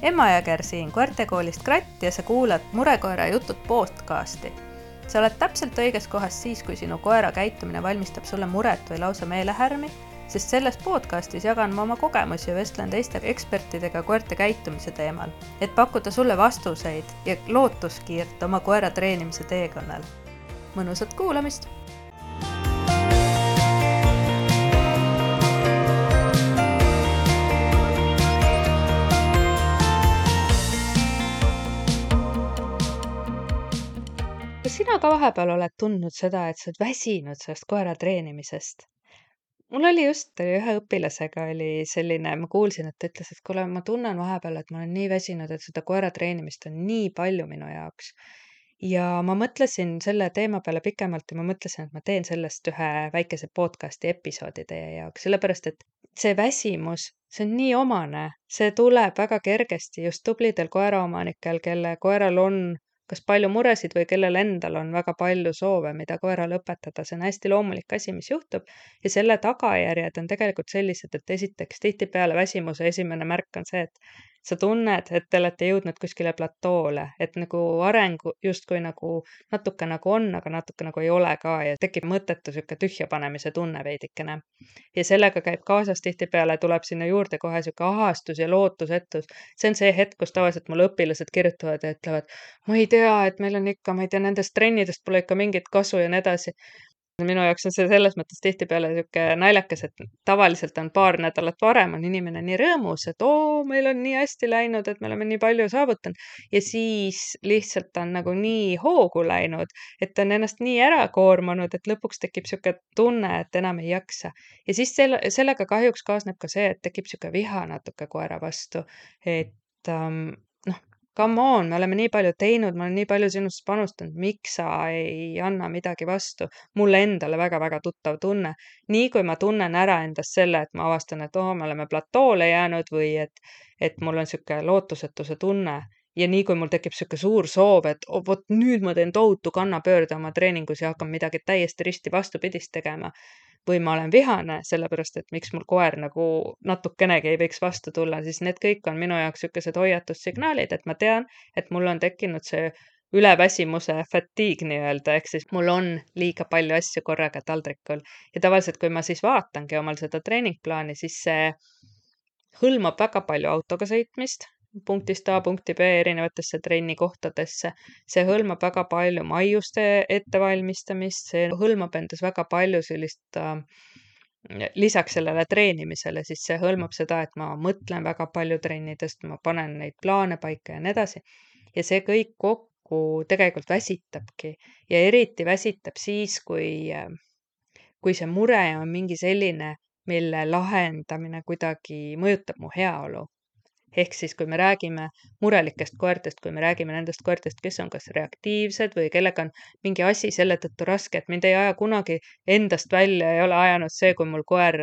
Emma Jõger siin koertekoolist Kratt ja sa kuulad Murekoera jutud podcasti. Sa oled täpselt õiges kohas siis, kui sinu koera käitumine valmistab sulle muret või lausa meelehärmi, sest selles podcastis jagan ma oma kogemusi ja vestlen teiste ekspertidega koerte käitumise teemal, et pakkuda sulle vastuseid ja lootuskiirt oma koera treenimise teekonnal. Mõnusat kuulamist! Kas sina ka vahepeal oled tundnud seda, et sa oled väsinud sellest koera treenimisest? Mul oli just ühe õpilasega oli selline, ma kuulsin, et ta ütles, et kuule, ma tunnen vahepeal, et ma olen nii väsinud, et seda koera treenimist on nii palju minu jaoks. Ja ma mõtlesin selle teema peale pikemalt ja ma mõtlesin, et ma teen sellest ühe väikese podcasti episoodi teie jaoks, sellepärast et see väsimus, see on nii omane, see tuleb väga kergesti just tublidel koeraomanikel, kelle koeral on kas palju muresid või kellel endal on väga palju soove, mida koerale õpetada. See on hästi loomulik asi, mis juhtub ja selle tagajärjed on tegelikult sellised, et esiteks tihtipeale väsimuse esimene märk on see, et sa tunned, et te olete jõudnud kuskile platoole, et nagu areng justkui nagu natuke nagu on, aga natuke nagu ei ole ka ja tekib mõttetu sihuke tühja panemise tunne veidikene. Ja sellega käib kaasas tihtipeale, tuleb sinna juurde kohe sihuke ahastus ja lootusetus. See on see hetk, kus tavaliselt mul õpilased kirjutavad ja ütlevad, ma ei tea, et meil on ikka, ma ei tea, nendest trennidest pole ikka mingit kasu ja nii edasi. Minu jaoks on see selles mõttes tihtipeale sihuke naljakas, et tavaliselt on paar nädalat varem on inimene nii rõõmus, et meil on nii hästi läinud, et me oleme nii palju saavutanud ja siis lihtsalt on nagu nii hoogu läinud, et on ennast nii ära koormanud, et lõpuks tekib sihuke tunne, et enam ei jaksa. Ja siis sellega kahjuks kaasneb ka see, et tekib sihuke viha natuke koera vastu, et come on, me oleme nii palju teinud, ma olen nii palju sinust panustanud, miks sa ei anna midagi vastu? Mulle endale väga-väga tuttav tunne. Nii kui ma tunnen ära endast selle, et ma avastan, et me oleme platoole jäänud või et mul on sihuke lootusetuse tunne ja nii kui mul tekib sihuke suur soov, et vot nüüd ma teen tohutu kannapöörde oma treeningus ja hakkan midagi täiesti risti vastupidist tegema. Või ma olen vihane, sellepärast, et miks mul koer nagu natukenegi ei võiks vastu tulla, siis need kõik on minu jaoks sellised hoiatussignaalid, et ma tean, et mul on tekkinud see üleväsimuse fatigue nii-öelda, ehk siis mul on liiga palju asju korraga taldrikul. Ja tavaliselt, kui ma siis vaatangi omal seda treeningplaani, siis see hõlmab väga palju autoga sõitmist, punktist A punkti B erinevatesse trennikohtadesse. See hõlmab väga palju maiuste ettevalmistamist, see hõlmab endas väga palju sellist, lisaks sellele treenimisele, siis see hõlmab seda, et ma mõtlen väga palju trennidest, ma panen neid plaane paika ja nii edasi. Ja see kõik kokku tegelikult väsitabki ja eriti väsitab siis, kui see mure on mingi selline, mille lahendamine kuidagi mõjutab mu heaolu. Ehk siis, kui me räägime murelikest koertest, kui me räägime nendest koertest, kes on kas reaktiivsed või kellega on mingi asi selle tõttu raske, et mind ei aja kunagi endast välja, ei ole ajanud see, kui mul koer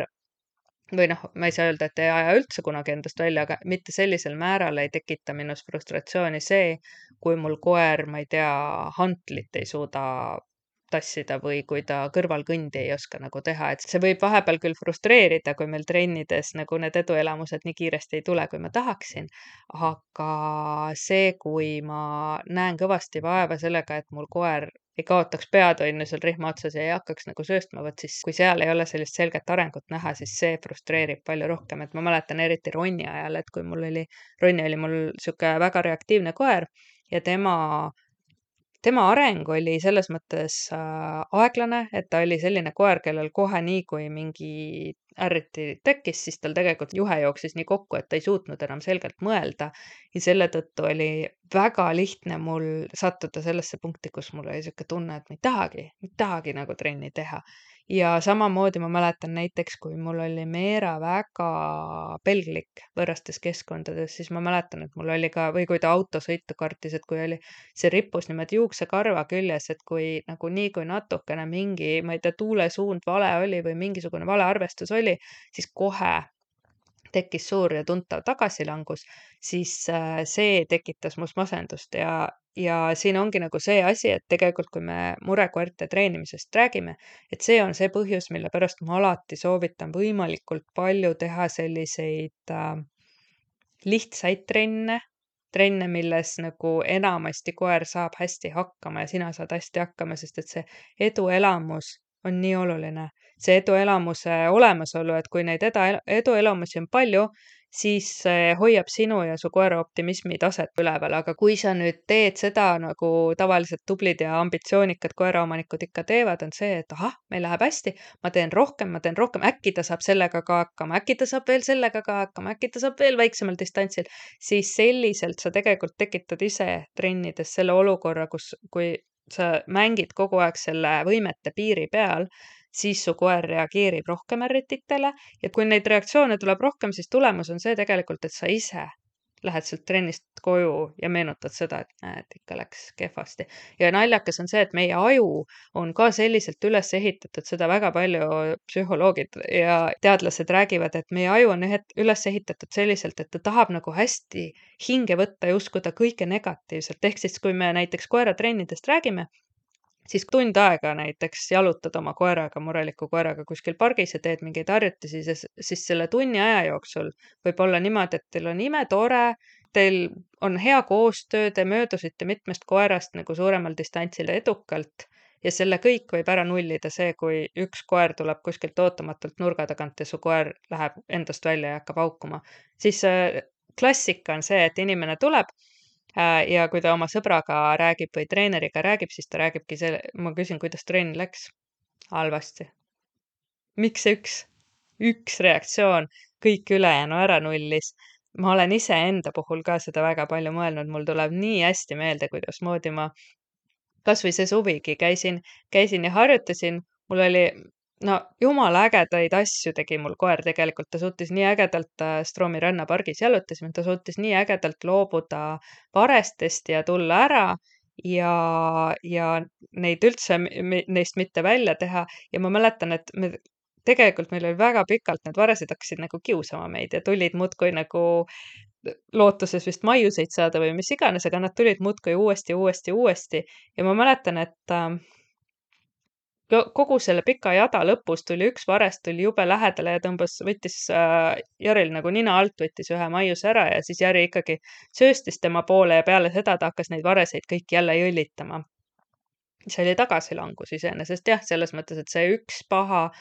või ma ei saa öelda, et ei aja üldse kunagi endast välja, aga mitte sellisel määral ei tekita minus frustratsiooni see, kui mul koer, ma ei tea, hantlit ei suuda tassida või kui ta kõrvalkõndi ei oska nagu teha, et see võib vahepeal küll frustreerida, kui meil trennides nagu need eduelamused nii kiiresti ei tule, kui ma tahaksin, aga see, kui ma näen kõvasti vaeva sellega, et mul koer ei kaotaks peatoinnu seal rihma otsas ja ei hakkaks nagu sööstma, võt siis kui seal ei ole sellist selget arengut näha, siis see frustreerib palju rohkem, et ma mäletan eriti Ronni ajal, et kui Ronni oli mul sihuke väga reaktiivne koer ja tema areng oli selles mõttes aeglane, et ta oli selline koer, kellel kohe nii, kui mingi ärriti tekkis, siis tal tegelikult juhe jooksis nii kokku, et ta ei suutnud enam selgelt mõelda. Ja selle tõttu oli väga lihtne mul sattuda sellesse punkti, kus mul oli sihuke tunne, et ma ei tahagi nagu trenni teha. Ja samamoodi ma mäletan näiteks, kui mul oli Meera väga pelglik võõrastes keskkondades, siis ma mäletan, et mul oli ka, või kui ta autosõitu kartis, et kui oli see rippus niimoodi juuksekarva küljes, et kui natukene mingi, ma ei tea, tuulesuund vale oli või mingisugune vale arvestus oli, siis kohe tekkis suur ja tuntav tagasilangus, siis see tekitas must masendust ja siin ongi nagu see asi, et tegelikult kui me murekoerte treenimisest räägime, et see on see põhjus, mille pärast ma alati soovitan võimalikult palju teha selliseid lihtsaid trenne, trenne, milles nagu enamasti koer saab hästi hakkama ja sina saad hästi hakkama, sest et see eduelamus on nii oluline. See eduelamuse olemasolu, et kui neid eduelamusi on palju, siis see hoiab sinu ja su koera optimismi taset üleval, aga kui sa nüüd teed seda, nagu tavaliselt tublid ja ambitsioonikad koeraomanikud ikka teevad, on see, et ahah, meil läheb hästi, ma teen rohkem, äkki ta saab sellega ka hakkama, äkki ta saab veel sellega ka hakkama, äkki ta saab veel väiksemal distantsil, siis selliselt sa tegelikult tekitad ise trennides selle olukorra, kui sa mängid kogu aeg selle võimete piiri peal, siis su koer reageerib rohkem ärrititele ja kui neid reaktsioone tuleb rohkem, siis tulemus on see tegelikult, et sa ise lähed sealt trennist koju ja meenutad seda, et näed, ikka läks kehvasti. Ja naljakas on see, et meie aju on ka selliselt üles ehitatud, seda väga palju psühholoogid ja teadlased räägivad, et meie aju on üles ehitatud selliselt, et ta tahab nagu hästi hinge võtta ja uskuda kõike negatiivselt. Ehk siis, kui me näiteks koeratrennidest räägime, siis tund aega näiteks jalutad oma koeraga, mureliku koeraga kuskil pargis ja teed mingeid harjutusi, siis selle tunni aja jooksul võib olla niimoodi, et teil on imetore, teil on hea koostöö, te möödusite mitmest koerast nagu suuremal distantsil edukalt ja selle kõik võib ära nullida see, kui üks koer tuleb kuskilt ootamatult nurga tagant ja su koer läheb endast välja ja hakkab haukuma. Siis klassika on see, et inimene tuleb ja kui ta oma sõbraga räägib või treeneriga räägib, siis ta räägibki ma küsin, kuidas trenn läks. Halvasti. Miks see üks reaktsioon kõik ülejäänu ära nullis? Ma olen iseenda puhul ka seda väga palju mõelnud, mul tuleb nii hästi meelde, kuidasmoodi ma kas või see suvigi käisin ja harjutasin, mul oli no jumala ägedaid asju tegi mul koer tegelikult, ta suutis nii ägedalt Stroomi rannapargis jalutasime, ta suutis nii ägedalt loobuda varestest ja tulla ära ja neid üldse neist mitte välja teha ja ma mäletan, et meil oli väga pikalt need varesed hakkasid nagu kiusama meid ja tulid muudkui nagu lootuses vist maiuseid saada või mis iganes, aga nad tulid muudkui uuesti ja ma mäletan, et kogu selle pika jada lõpus tuli üks varest tuli jube lähedale ja võttis Jaril nagu nina alt, võttis ühe maiuse ära ja siis Jari ikkagi sööstis tema poole ja peale seda ta hakkas neid vareseid kõik jälle jõllitama. See oli tagasilangus iseenesest jah, selles mõttes, et see üks paha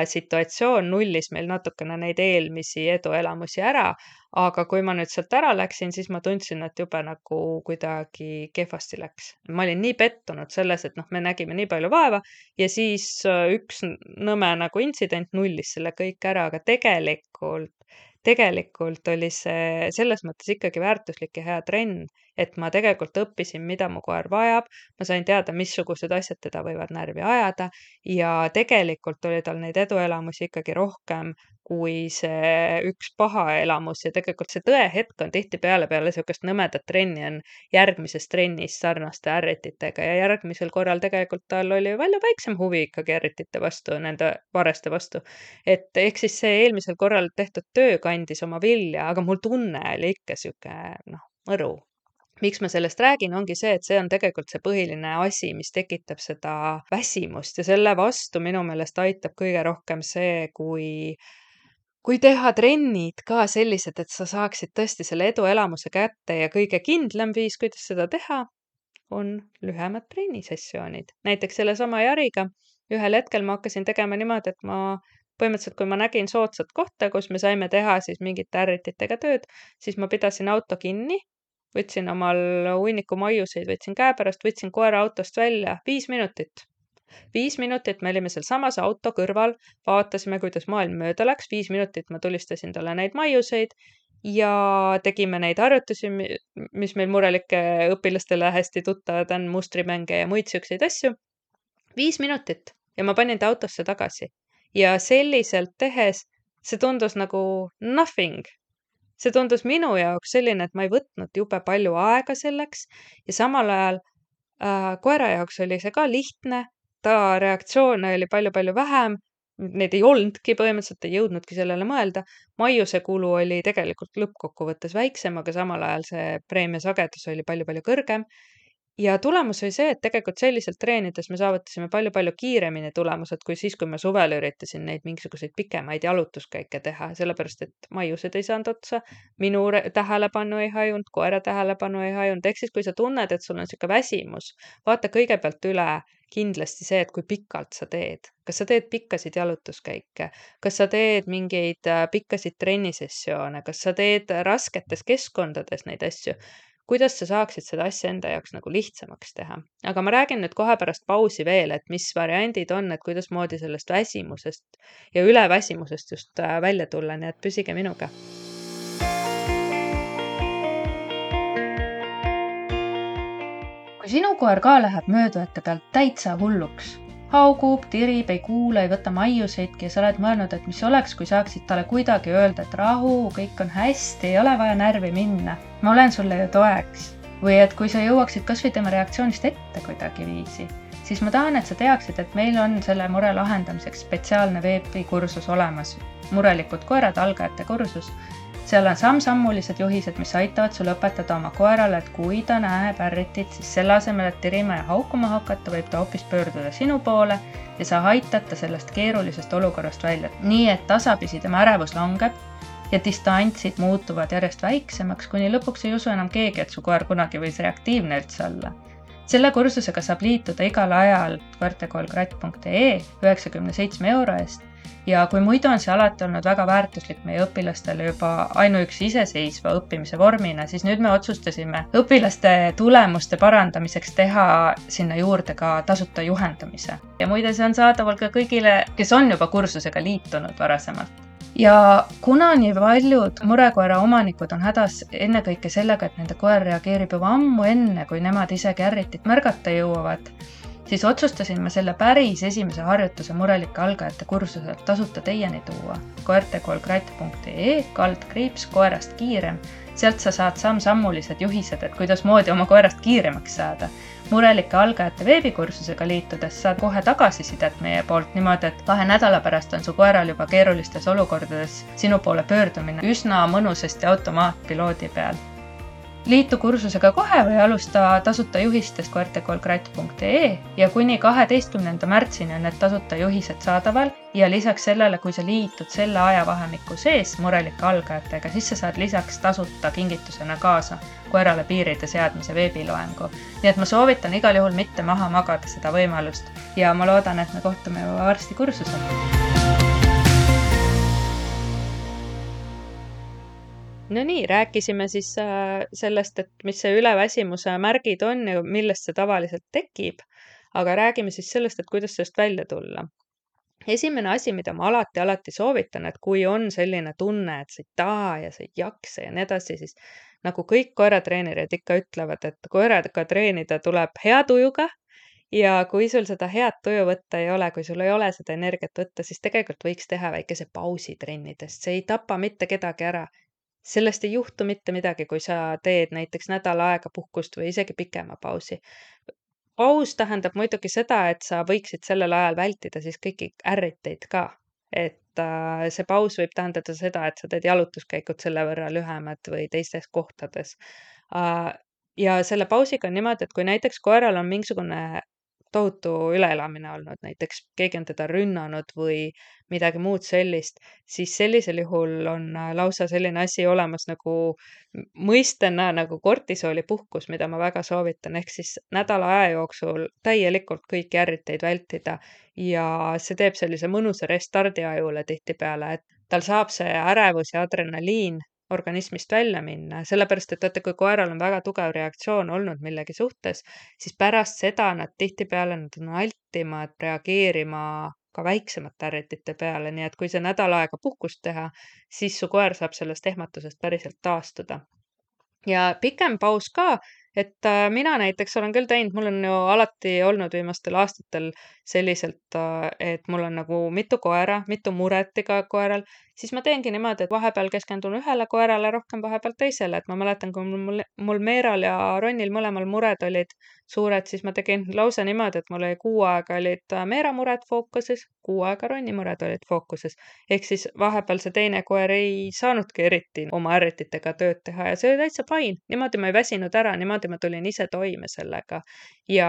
situatsioon nullis meil natukene neid eelmisi eduelamusi ära, aga kui ma nüüd sealt ära läksin, siis ma tundsin, et jube nagu kuidagi kehvasti läks. Ma olin nii pettunud selles, et me nägime nii palju vaeva ja siis üks nõme nagu intsident nullis selle kõik ära, aga tegelikult oli see selles mõttes ikkagi väärtuslik ja hea trenn, et ma tegelikult õppisin, mida mu koer vajab, ma sain teada, missugused asjad teda võivad närvi ajada ja tegelikult oli tal neid eduelamusi ikkagi rohkem kui see üks paha elamus ja tegelikult see tõehetk on tihtipeale peale niisugust nõmedat trenni on järgmises trennis sarnaste ärrititega ja järgmisel korral tegelikult tal oli palju väiksem huvi ikkagi ärritite vastu, nende vareste vastu. Et ehk siis see eelmisel korral tehtud töö kandis oma vilja, aga mul tunne oli ikka sihuke mõru. Miks ma sellest räägin, ongi see, et see on tegelikult see põhiline asi, mis tekitab seda väsimust ja selle vastu minu meelest aitab kõige rohkem see, kui teha trennid ka sellised, et sa saaksid tõesti selle eduelamuse kätte ja kõige kindlam viis, kuidas seda teha, on lühemad trennisessioonid. Näiteks sellesama Jariga ühel hetkel ma hakkasin tegema niimoodi, et põhimõtteliselt, kui ma nägin soodsat kohta, kus me saime teha siis mingite ärrititega tööd, siis ma pidasin auto kinni, võtsin omal hunniku maiuseid, võtsin käepärast, võtsin koera autost välja 5 minutit. 5 minutit me olime sealsamas auto kõrval, vaatasime, kuidas maailm mööda läks, 5 minutit ma tulistasin talle neid maiuseid ja tegime neid harjutusi, mis meil murelike õpilastele hästi tuttavad on, mustrimänge ja muid siukseid asju. 5 minutit ja ma panin ta autosse tagasi ja selliselt tehes see tundus nagu nothing. See tundus minu jaoks selline, et ma ei võtnud jube palju aega selleks ja samal ajal koera jaoks oli see ka lihtne, ta reaktsioone oli palju-palju vähem, neid ei olnudki põhimõtteliselt, ei jõudnudki sellele mõelda. Maiuse kulu oli tegelikult lõppkokkuvõttes väiksem, aga samal ajal see preemia sagedus oli palju-palju kõrgem. Ja tulemus oli see, et tegelikult selliselt treenides me saavutasime palju-palju kiiremini tulemused kui siis, kui ma suvel üritasin neid mingisuguseid pikemaid jalutuskäike teha, sellepärast et maiused ei saanud otsa, minu tähelepanu ei hajunud, koera tähelepanu ei hajunud. Ehk siis, kui sa tunned, et sul on sihuke väsimus, vaata kõigepealt üle kindlasti see, et kui pikalt sa teed. Kas sa teed pikkasid jalutuskäike, kas sa teed mingeid pikkasid trennisessioone, kas sa teed rasketes keskkondades neid asju, kuidas sa saaksid seda asja enda jaoks nagu lihtsamaks teha. Aga ma räägin nüüd kohe pärast pausi veel, et mis variandid on, et kuidasmoodi sellest väsimusest ja üleväsimusest just välja tulla, nii et püsige minuga. Kui sinu koer ka läheb möödujate pealt täitsa hulluks, haugub, tirib, ei kuule, ei võta maiuseidki ja sa oled mõelnud, et mis oleks, kui saaksid talle kuidagi öelda, et rahu, kõik on hästi, ei ole vaja närvi minna. Ma olen sulle ju toeks. Või et kui sa jõuaksid kas või tema reaktsioonist ette kuidagiviisi, siis ma tahan, et sa teaksid, et meil on selle mure lahendamiseks spetsiaalne veebikursus olemas. Murelikud koerad, algajate kursus. Seal on samm-sammulised juhised, mis aitavad sul õpetada oma koerale, et kui ta näeb ärritit, siis selle asemel, et tirima ja haukuma hakata, võib ta hoopis pöörduda sinu poole ja sa aitad ta sellest keerulisest olukorrast välja. Nii, et tasapisi tema ärevus langeb ja distantsid muutuvad järjest väiksemaks, kuni lõpuks ei usu enam keegi, et su koer kunagi võis reaktiivne üldse olla. Selle kursusega saab liituda igal ajal koertekoolkratt.ee 97 € eest. Ja kui muidu on see alati olnud väga väärtuslik meie õpilastele juba ainuüksi iseseisva õppimise vormina, siis nüüd me otsustasime õpilaste tulemuste parandamiseks teha sinna juurde ka tasuta juhendamise. Ja muide, see on saadaval ka kõigile, kes on juba kursusega liitunud varasemalt. Ja kuna nii paljud murekoera omanikud on hädas ennekõike sellega, et nende koer reageerib juba ammu enne, kui nemad isegi ärritit märgata jõuavad, siis otsustasin ma selle päris esimese harjutuse murelike algajate kursuselt tasuta teieni tuua. koertekoolkratt.ee /koerast kiirem. Sealt sa saad samm-sammulised juhised, et kuidas moodi oma koerast kiiremaks saada. Murelike algajate veebikursusega liitudes saad kohe tagasisidet meie poolt niimoodi, et 2 nädala pärast on su koeral juba keerulistes olukordades sinu poole pöördumine üsna mõnusasti automaatpiloodi peal. Liitu kursusega kohe või alusta tasuta juhistest koertekoolkratt.ee ja kuni 12. märtsini on need tasuta juhised saadaval ja lisaks sellele, kui sa liitud selle ajavahemiku sees murelike algajatega, siis sa saad lisaks tasuta kingitusena kaasa koerale piiride seadmise veebiloengu. Nii et ma soovitan igal juhul mitte maha magada seda võimalust ja ma loodan, et me kohtume juba varsti kursusel. No nii, rääkisime siis sellest, et mis see üleväsimuse märgid on ja millest see tavaliselt tekib, aga räägime siis sellest, et kuidas sellest välja tulla. Esimene asi, mida ma alati soovitan, et kui on selline tunne, et sa ei taha ja sa ei jaksa ja nii edasi, siis nagu kõik koeratreenerid ikka ütlevad, et koeraga treenida tuleb hea tujuga ja kui sul seda head tuju võtta ei ole, kui sul ei ole seda energiat võtta, siis tegelikult võiks teha väikese pausi trennidest. See ei tapa mitte kedagi ära. Sellest ei juhtu mitte midagi, kui sa teed näiteks nädal aega puhkust või isegi pikema pausi. Paus tähendab muidugi seda, et sa võiksid sellel ajal vältida siis kõiki ärriteid ka. Et see paus võib tähendada seda, et sa teed jalutuskäikud selle võrra lühemad või teistes kohtades. Ja selle pausiga on niimoodi, et kui näiteks koeral on mingisugune tohutu üleelamine olnud, näiteks keegi on teda rünnanud või midagi muud sellist, siis sellisel juhul on lausa selline asi olemas nagu mõistena nagu kortisoolipuhkus, mida ma väga soovitan, ehk siis nädala aja jooksul täielikult kõiki ärriteid vältida ja see teeb sellise mõnusa restardi ajule tihtipeale, et tal saab see ärevus ja adrenaliin organismist välja minna, sellepärast et vaata, kui koeral on väga tugev reaktsioon olnud millegi suhtes, siis pärast seda nad tihtipeale nad on altimad reageerima ka väiksemate ärritite peale, nii et kui see nädal aega puhkust teha, siis su koer saab sellest ehmatusest päriselt taastuda. Ja pikem paus ka, et mina näiteks olen küll teinud, mul on ju alati olnud viimastel aastatel selliselt, et mul on nagu mitu koera, mitu muret iga koeral, siis ma teengi niimoodi, et vahepeal keskendun ühele koerale rohkem, vahepeal teisele. Et ma mäletan, kui mul Meeral ja Ronnil mõlemal mured olid suured, siis ma tegin lausa niimoodi, et mul oli kuu aega olid Meera mured fookuses, kuu aega Ronni mured olid fookuses. Ehk siis vahepeal see teine koer ei saanudki eriti oma ärrititega tööd teha ja see oli täitsa fine. Niimoodi ma ei väsinud ära, niimoodi ma tulin ise toime sellega. Ja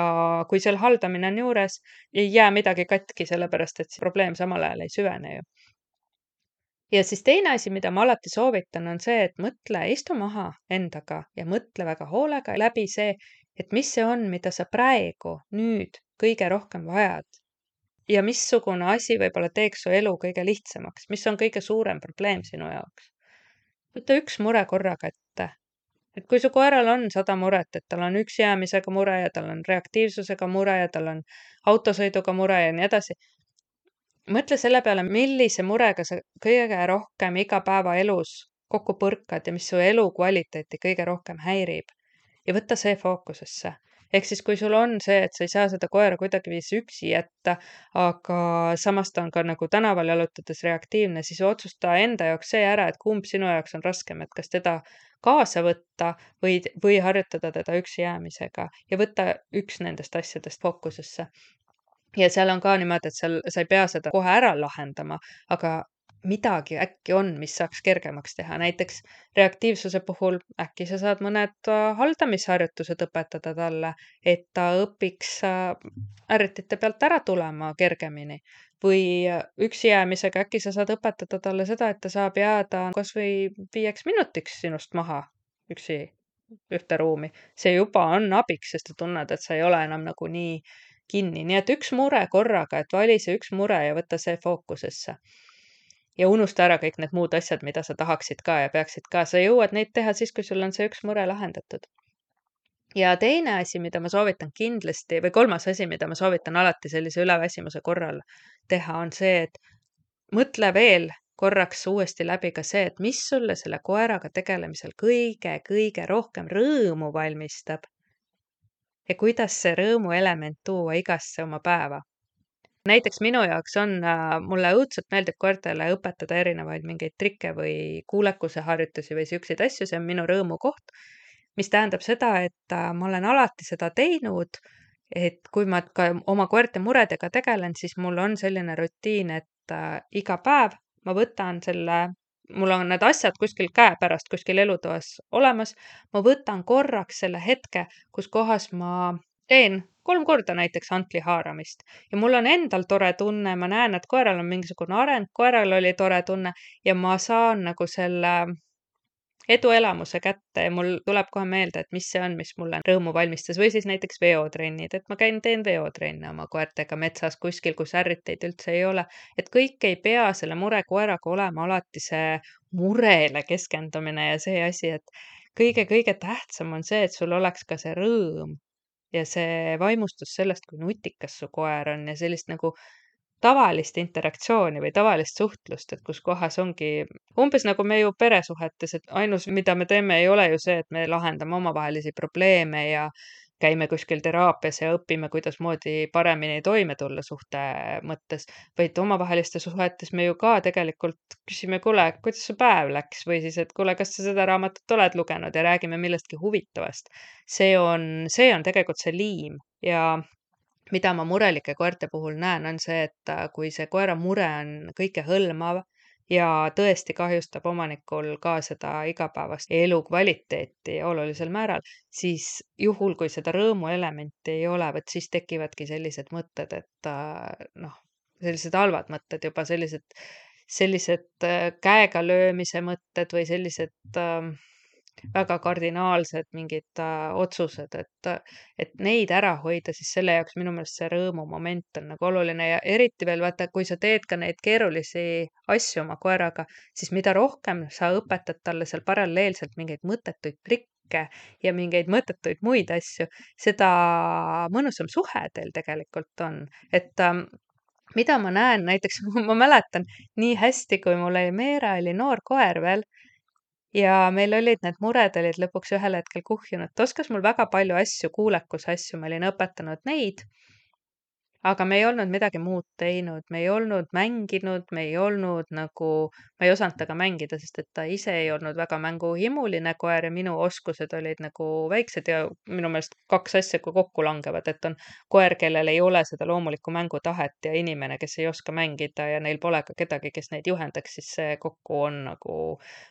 kui seal haldamine on juures, ei jää midagi katki, sellepärast et see probleem samal ajal ei süvene ju. Ja siis teine asi, mida ma alati soovitan, on see, et mõtle, istu maha endaga ja mõtle väga hoolega läbi see, et mis see on, mida sa praegu, nüüd kõige rohkem vajad. Ja missugune asi võib-olla teeks su elu kõige lihtsamaks, mis on kõige suurem probleem sinu jaoks. Võta üks mure korraga ette. Et kui su koeral on 100 muret, et tal on üksjäämisega mure ja tal on reaktiivsusega mure ja tal on autosõiduga mure ja nii edasi, mõtle selle peale, millise murega sa kõige rohkem igapäevaelus kokku põrkad ja mis su elukvaliteeti kõige rohkem häirib. Ja võta see fookusesse. Ehk siis, kui sul on see, et sa ei saa seda koera kuidagiviisi üksi jätta, aga samas ta on ka nagu tänaval jalutades reaktiivne, siis otsusta enda jaoks see ära, et kumb sinu jaoks on raskem, et kas teda kaasa võtta või harjutada teda üksi jäämisega ja võtta üks nendest asjadest fookusesse. Ja seal on ka niimoodi, et sa ei pea seda kohe ära lahendama, aga midagi äkki on, mis saaks kergemaks teha. Näiteks reaktiivsuse puhul äkki sa saad mõned haldamisharjutused õpetada talle, et ta õpiks ärritite pealt ära tulema kergemini. Või üksi jäämisega äkki sa saad õpetada talle seda, et ta saab jääda kas või 5 minutiks sinust maha üksi ühte ruumi. See juba on abiks, sest sa tunned, et sa ei ole enam nagu nii kinni. Nii et üks mure korraga, et vali see üks mure ja võta see fookusesse. Ja unusta ära kõik need muud asjad, mida sa tahaksid ka ja peaksid ka. Sa jõuad neid teha siis, kui sul on see üks mure lahendatud. Ja teine asi, mida ma soovitan kindlasti, või kolmas asi, mida ma soovitan alati sellise üleväsimuse korral teha, on see, et mõtle veel korraks uuesti läbi ka see, et mis sulle selle koeraga tegelemisel kõige rohkem rõõmu valmistab ja kuidas see rõõmu element tuua igasse oma päeva. Näiteks minu jaoks on, mulle õudselt meeldib koertele õpetada erinevaid mingeid trikke või kuulekuse harjutusi või siukseid asju, see on minu rõõmukoht, mis tähendab seda, et ma olen alati seda teinud, et kui ma ka oma koerte muredega tegelen, siis mul on selline rutiin, et iga päev ma võtan mul on need asjad kuskil käepärast kuskil elutoas olemas, ma võtan korraks selle hetke, kus kohas ma teen 3 korda näiteks hantli haaramist ja mul on endal tore tunne, ma näen, et koeral on mingisugune areng, koeral oli tore tunne ja ma saan nagu selle eduelamuse kätte ja mul tuleb kohe meelde, et mis see on, mis mulle rõõmu valmistas või siis näiteks veotrennid, et ma teen veotrenne oma koertega metsas kuskil, kus ärriteid üldse ei ole. Et kõik ei pea selle murekoeraga olema alati see murele keskendumine ja see asi, et kõige tähtsam on see, et sul oleks ka see rõõm ja see vaimustus sellest, kui nutikas su koer on ja sellist nagu tavalist interaktsiooni või tavalist suhtlust, et kus kohas ongi umbes nagu me ju peresuhetes, et ainus, mida me teeme, ei ole ju see, et me lahendame omavahelisi probleeme ja käime kuskil teraapias ja õpime, kuidasmoodi paremini toime tulla suhte mõttes, vaid omavahelistes suhetes me ju ka tegelikult küsime, kuule, kuidas su päev läks või siis, et kuule, kas sa seda raamatut oled lugenud ja räägime millestki huvitavast. See on tegelikult see liim ja mida ma murelike koerte puhul näen, on see, et kui see koera mure on kõikehõlmav ja tõesti kahjustab omanikul ka seda igapäevast elukvaliteeti olulisel määral, siis juhul, kui seda rõõmuelementi ei ole, vot siis tekivadki sellised mõtted, et noh, sellised halvad mõtted juba, sellised käega löömise mõtted või sellised väga kardinaalsed mingid otsused, et neid ära hoida, siis selle jaoks minu meelest see rõõmumoment on nagu oluline ja eriti veel vaata, kui sa teed ka neid keerulisi asju oma koeraga, siis mida rohkem sa õpetad talle seal paralleelselt mingeid mõttetuid trikke ja mingeid mõttetuid muid asju, seda mõnusam suhe teil tegelikult on. Et mida ma näen, näiteks ma mäletan nii hästi, kui mul oli Meera oli noor koer veel ja meil olid need mured olid lõpuks ühel hetkel kuhjunud. Ta oskas mul väga palju asju, kuulekuse asju, ma olin õpetanud neid. Aga me ei olnud midagi muud teinud, me ei olnud mänginud, me ei olnud nagu, ma ei osanud temaga mängida, sest et ta ise ei olnud väga mänguhimuline koer ja minu oskused olid nagu väiksed ja minu meelest kaks asja kui kokku langevad, et on koer, kellel ei ole seda loomulikku mängutahet ja inimene, kes ei oska mängida ja neil pole ka kedagi, kes neid juhendaks, siis see kokku on nagu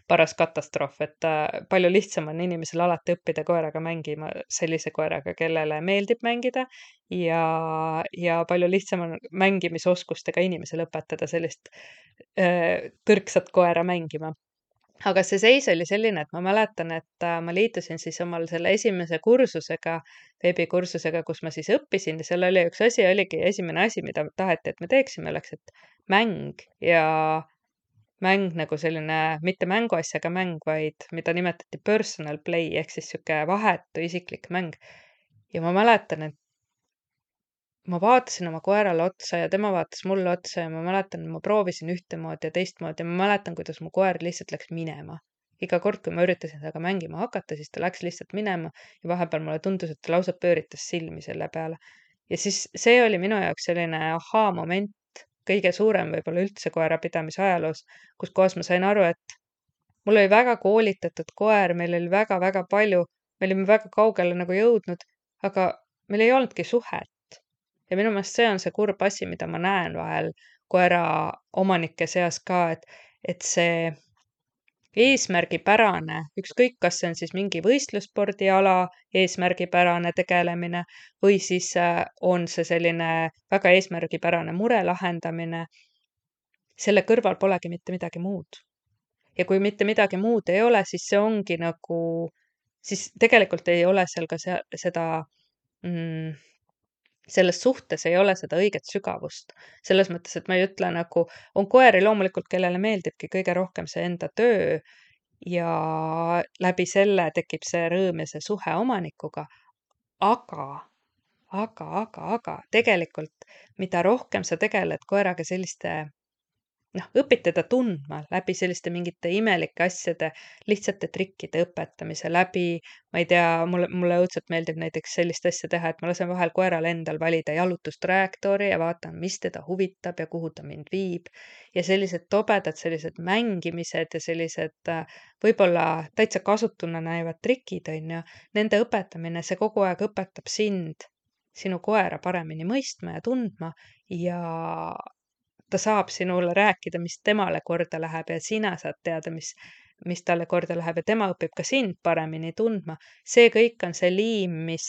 paras katastroof, et palju lihtsam on inimesel alati õppida koeraga mängima, sellise koeraga, kellele meeldib mängida ja palju lihtsam on mängimisoskustega inimesel õpetada sellist tõrksat koera mängima. Aga see seis oli selline, et ma mäletan, et ma liitusin siis omal selle esimese kursusega, veebikursusega, kus ma siis õppisin ja seal oli üks asi, oligi esimene asi, mida taheti, et me teeksime, oleks, et mäng ja mäng nagu selline, mitte mänguasjaga mäng, vaid mida nimetati personal play ehk siis sihuke vahetu isiklik mäng. Ja ma mäletan, et ma vaatasin oma koerale otsa ja tema vaatas mulle otsa ja ma mäletan, ma proovisin ühtemoodi ja teistmoodi ja ma mäletan, kuidas mu koer lihtsalt läks minema. Iga kord, kui ma üritasin temaga mängima hakata, siis ta läks lihtsalt minema ja vahepeal mulle tundus, et ta lausa pööritas silmi selle peale. Ja siis see oli minu jaoks selline ahaa-moment, kõige suurem võib-olla üldse koerapidamise ajaloos, kus kohas ma sain aru, et mul oli väga koolitatud koer, meil oli väga-väga palju, me olime väga kaugele nagu jõudnud, aga meil ei olnudki suhet. Ja minu meelest see on see kurb asi, mida ma näen vahel koera omanike seas ka, et see eesmärgipärane, ükskõik, kas see on siis mingi võistlusspordiala eesmärgipärane tegelemine või siis on see selline väga eesmärgipärane mure lahendamine, selle kõrval polegi mitte midagi muud. Ja kui mitte midagi muud ei ole, siis see ongi nagu, siis tegelikult ei ole seal ka seda selles suhtes ei ole seda õiget sügavust. Selles mõttes, et ma ei ütle nagu, on koeri loomulikult, kellele meeldibki kõige rohkem see enda töö ja läbi selle tekib see rõõm ja see suhe omanikuga. Aga, aga tegelikult, mida rohkem sa tegeled koeraga selliste, õpid teda tundma läbi selliste mingite imelike asjade, lihtsate trikkide õpetamise läbi, ma ei tea, mulle õudselt meeldib näiteks sellist asja teha, et ma lasen vahel koeral endal valida jalutustrajektoori ja vaatan, mis teda huvitab ja kuhu ta mind viib. Ja sellised tobedad, sellised mängimised ja sellised võib-olla täitsa kasutuna näivad trikid, on ju, nende õpetamine, see kogu aeg õpetab sind, sinu koera paremini mõistma ja tundma ja ta saab sinule rääkida, mis temale korda läheb ja sina saad teada, mis talle korda läheb ja tema õpib ka sind paremini tundma. See kõik on see liim, mis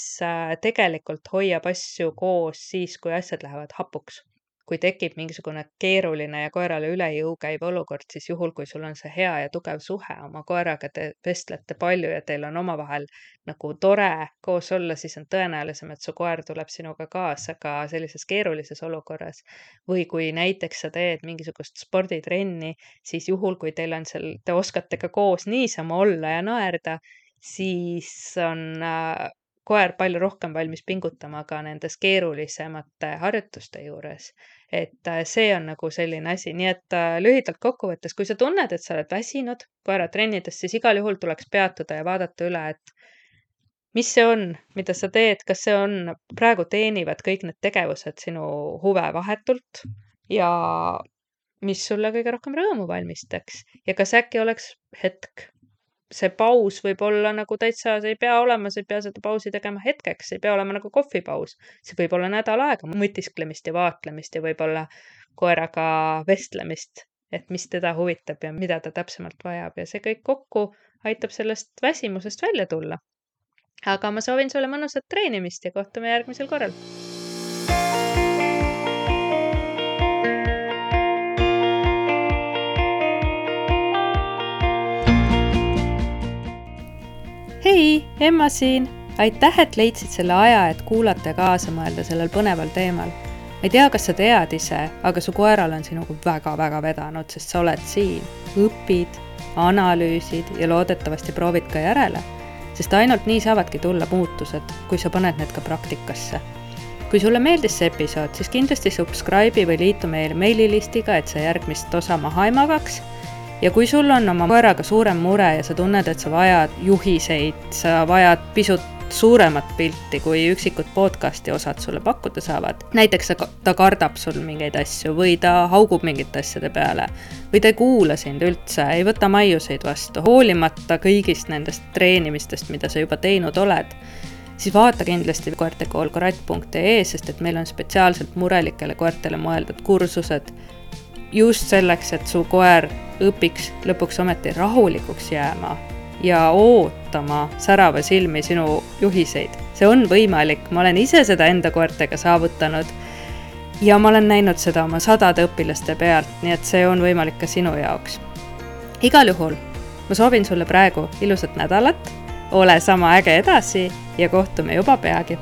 tegelikult hoiab asju koos siis, kui asjad lähevad hapuks. Kui tekib mingisugune keeruline ja koerale üle jõu käiv olukord, siis juhul, kui sul on see hea ja tugev suhe oma koeraga, te vestlete palju ja teil on omavahel nagu tore koos olla, siis on tõenäolisem, et su koer tuleb sinuga kaasa ka sellises keerulises olukorras. Või kui näiteks sa teed mingisugust sporditrenni, siis juhul, kui teil on seal, te oskate ka koos niisama olla ja naerda, siis on koer palju rohkem valmis pingutama ka nendes keerulisemate harjutuste juures. Et see on nagu selline asi, nii et lühidalt kokkuvõttes, kui sa tunned, et sa oled väsinud koeratrennides, siis igal juhul tuleks peatuda ja vaadata üle, et mis see on, mida sa teed, kas see on, praegu teenivad kõik need tegevused sinu huve vahetult ja mis sulle kõige rohkem rõõmu valmistaks ja kas äkki oleks hetk, see paus võib olla nagu täitsa, see ei pea olema, sa ei pea seda pausi tegema hetkeks, see ei pea olema nagu kohvipaus. See võib olla nädal aega mõtisklemist ja vaatlemist ja võib-olla koeraga vestlemist, et mis teda huvitab ja mida ta täpsemalt vajab ja see kõik kokku aitab sellest väsimusest välja tulla. Aga ma soovin sulle mõnusat treenimist ja kohtume järgmisel korral. Hei, Emma siin! Aitäh, et leidsid selle aja, et kuulata ja kaasa mõelda sellel põneval teemal. Ma ei tea, kas sa tead ise, aga su koeral on sinuga väga-väga vedanud, sest sa oled siin, õpid, analüüsid ja loodetavasti proovid ka järele, sest ainult nii saavadki tulla muutused, kui sa paned need ka praktikasse. Kui sulle meeldis see episood, siis kindlasti subscribe'i või liitu meil meililistiga, et sa järgmist osa maha ei magaks. Ja kui sul on oma koeraga suurem mure ja sa tunned, et sa vajad juhiseid, sa vajad pisut suuremat pilti, kui üksikud podcasti osad sulle pakkuda saavad. Näiteks ta kardab sul mingeid asju või ta haugub mingite asjade peale või ta ei kuula sind üldse, ei võta maiuseid vastu, hoolimata kõigist nendest treenimistest, mida sa juba teinud oled, siis vaata kindlasti koertekoolkorat.ee, sest et meil on spetsiaalselt murelikele koertele mõeldud kursused just selleks, et su koer õpiks lõpuks ometi rahulikuks jääma ja ootama särava silmi sinu juhiseid. See on võimalik, ma olen ise seda enda koertega saavutanud ja ma olen näinud seda oma 100 õpilaste pealt, nii et see on võimalik ka sinu jaoks. Igal juhul ma soovin sulle praegu ilusat nädalat, ole sama äge edasi ja kohtume juba peagi.